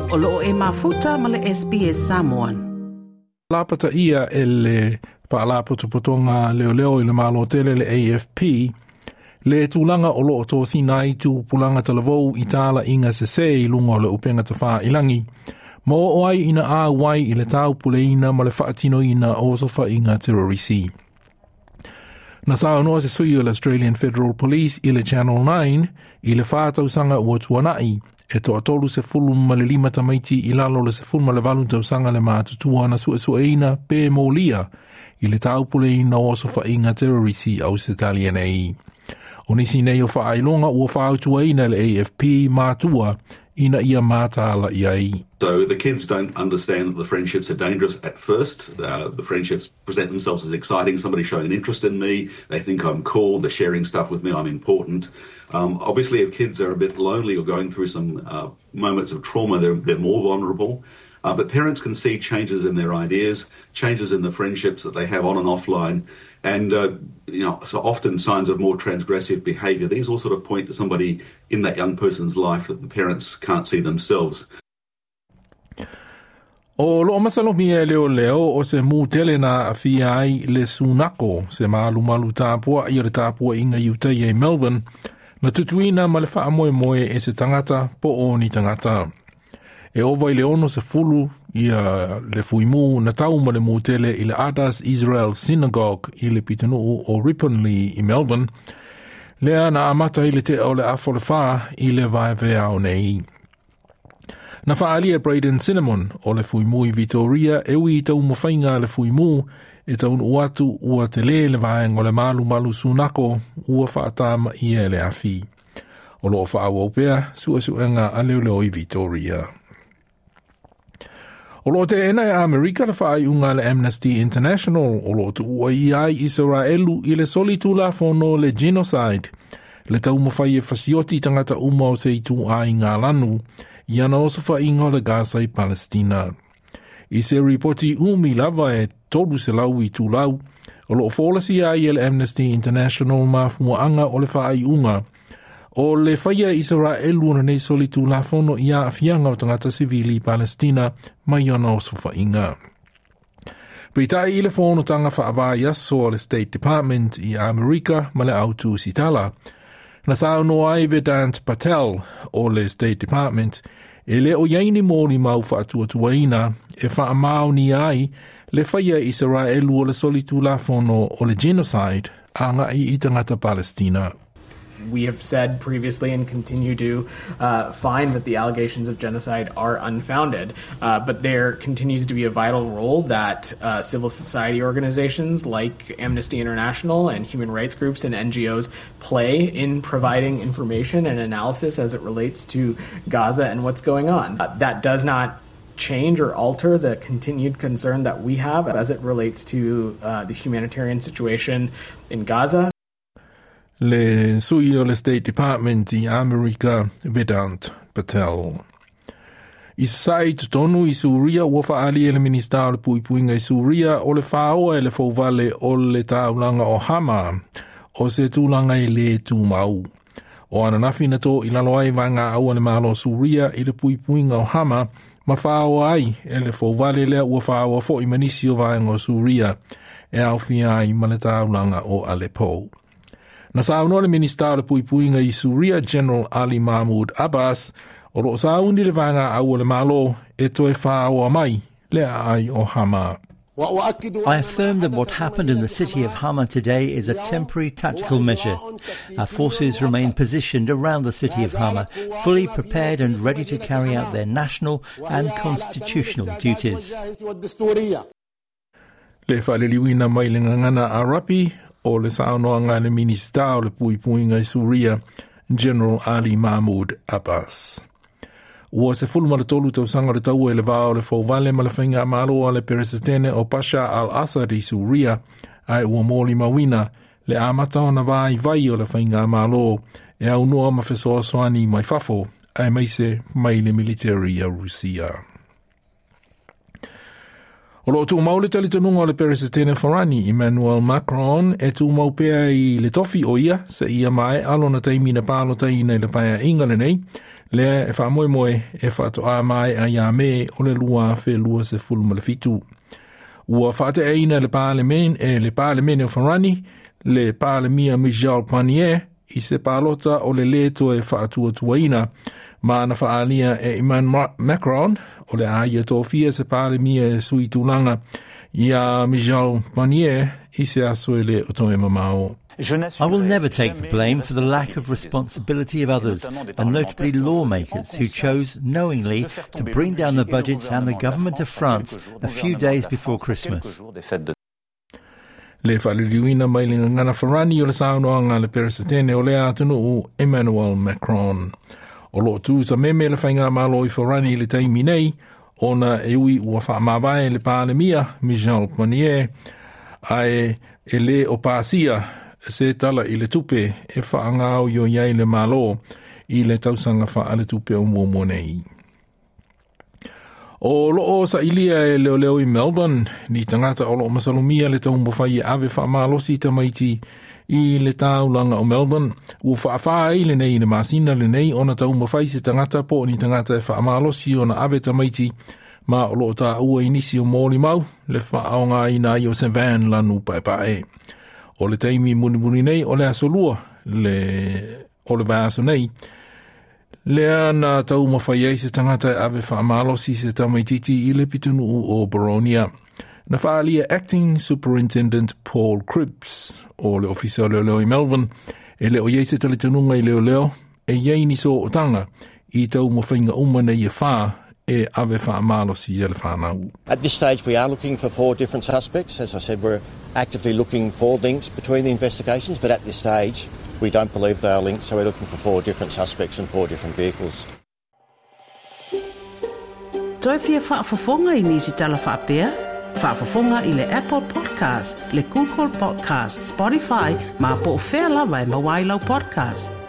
O loo e mafuta ma le SBS Samoan. Lapata ia e le Faalapotopotoga Leoleo i le Malo Tele le AFP, le tulaga o loo tosina ai tupulaga talavou i talaiga sesē i luga o le upega tafailagi, ma oo ai ina auai i le taupuleina ma le faatinoina o osofaiga terorisi. Na saunoa se sui o le Australian Federal Police i le Channel 9 i le 4 tausaga ua tuanai, e 35 tamaiti i lalo o le 18 tausaga le matutua na suesueina pe molia i le taupuleina o osofaiga terrorisi Ausetalia nei. O nisi nei o faailoga ua fautuaina le AFP matua ina ia mataala i ai. So the kids don't understand that the friendships are dangerous at first. The friendships present themselves as exciting. Somebody's showing an interest in me. They think I'm cool. They're sharing stuff with me. I'm important. Obviously, if kids are a bit lonely or going through some moments of trauma, they're more vulnerable. But parents can see changes in their ideas, changes in the friendships that they have on and offline, and so often signs of more transgressive behaviour. These all sort of point to somebody in that young person's life that the parents can't see themselves. O loo masalomia e leoleo o se mu tele na aafia ai le Sunako, se malumalu tapua'i o le tapua'iga i utai e Melbourne, na tutuina ma le faamoemoe e se tagata po o ni tagata. E ova i le 60 ia le fuimu na tau ma le mu tele i le Adas Israel Synagogue i le pitonuu o Ripponlea i Melbourne, lea na amata i le tea o le 3:30 i le vaeveao nei. Na faalia Braden Cinnamon o le fuimu i Victoria e ui i taumafaiga le fuimu e taunuu atu ua tele le vaega o le malumalu Sunako ua faatamaia e le afi. O loo faaauau pea suesuega a leoleo i Victoria. O loo teena e Amerika le faaiuga le Amnesty International o loo tuua i ai Iseraelu i le soli tulafono le genocide, le taumafai e fasioti tagata uma o se ituaiga lanu i ana osofaiga o le Gaza i Palestina. I se ripoti umi lava e 300 itulau, o loo folasia ai e le Amnesty International mafuaaga o le faaiuga o le faia Iseraelu ona nei soli tulafono i aafiaga o tagata sivili i Palestina mai ona osofaiga. Peitai i le fonotaga faavaiaso o le State Department i Amerika ma le autusitala, na saunoa ai Vedant Patel o le State Department e le o iai ni molimau faatuatuaina e faamaonia ai le faia Iseraelu o le soli tulafono o le genocide aga'i i tagata Palestina. We have said previously and continue to find that the allegations of genocide are unfounded. But there continues to be a vital role that civil society organizations like Amnesty International and human rights groups and NGOs play in providing information and analysis as it relates to Gaza and what's going on. That does not change or alter the continued concern that we have as it relates to the humanitarian situation in Gaza. Le sui o le State Department i Amerika, Vedant Patel. I sa'i totonu i Suria ua faaali e le Minista o le Puipuiga i Suria o le faaoa e le fouvale o le taulaga o Hama o se tulaga e le tumau. O ananafi na to i lalo ai vaega aua le malo Suria i le puipuiga o Hama ma faaoa ai e le fouvale lea ua faaoa fo'i ma nisi o vaega o Suria e aofia ai ma le taulaga o Aleppo. Na saunoa le Minista o le Puipuiga i Suria, General Ali Mahmoud Abbas, o loo sauni le vaega aua le malo e toe faaoa mai le aai o Hama. I affirm that what happened in the city of Hama today is a temporary tactical measure. Our forces remain positioned around the city of Hama, fully prepared and ready to carry out their national and constitutional duties. Le faaliliuina mai le gagana Arapi o le saunoaga le Minista o le Puipuiga i Suria, General Ali Mahmoud Abbas. Ua 13 tausaga le taua i le va o le fouvale ma le faigamalo a le Peresetene o Bashar al-Assad i Suria, ae ua molimauina le amata ona vaivai o le faigamalo e aunoa ma fesoasoani mai fafo aemaise mai le military a Rusia. O loo tumau le talitonuga o le Peresetene Farani Emmanuel Macron e tumau pea i le tofi o ia seia maea lona taimi na palotaina i le paeaiga lenei. Lea e faamoemoe e faatoa maea ia Me o le 2027. Ua faateaina le Palemene o Farani, le Palemia Michel Barnier, i se palota o le lē toe faatuatuaina ma na faaalia e Emmanuel Macron o le a ia tofia se Palemia e sui tulaga ia Michel Barnier i se aso e le o toe mamao. I will never take the blame for the lack of responsibility of others, and notably lawmakers who chose knowingly to bring down the budget and the government of France a few days before Christmas. Le faaliliuina mai le gagana Farani o le saunoaga le Peresetene o lea atunuu Emmanuel Macron. O loo tu sameme le faigamalo i Farani i le taimi nei, ona e ui ua faamavae le Palemia Michel Barnier, ae e lē o pasia se tala i le tupe e faagaoioi ai le Malo i le tausaga faaletupe o muamua nei. O loo sailia e leoleo i Melbourne, ni tagata o loo masalomia le taumafai e ave faamalosi tamaiti i le taulaga o Melbourne. Ua faafā ai lenei i le masina lenei ona taumafai se tagata po o ni tagata e faamalosi ona ave tamaiti ma o loo taua i nisi o molimau le faaaogaina ai o se van lanu paepae. O le taimi mulimuli nei o le aso lua le o le vaiaso nei, lea na taumafai ai se tagata e ave faamalosi se tamaititi i le pitonuu o Boronia. Na faaalia Acting Superintendent Paul Cripps o le Ofisa o Leoleo i Melbourne e le o iai se talitonuga i leoleo e iai ni sootaga i taumafaiga uma nei e whā e ave faamalosi ia le whanau. At this stage, we are looking for 4 different suspects. As I said, we're actively looking for links between the investigations, but at this stage, we don't believe they are linked, so we're looking for 4 different suspects and 4 different vehicles. Toe fia faafofoga i nisi tala faapea? Faafofoga i le Apple Podcast, le Google Podcast, Spotify, ma po o fea lava e maua ai lau podcast.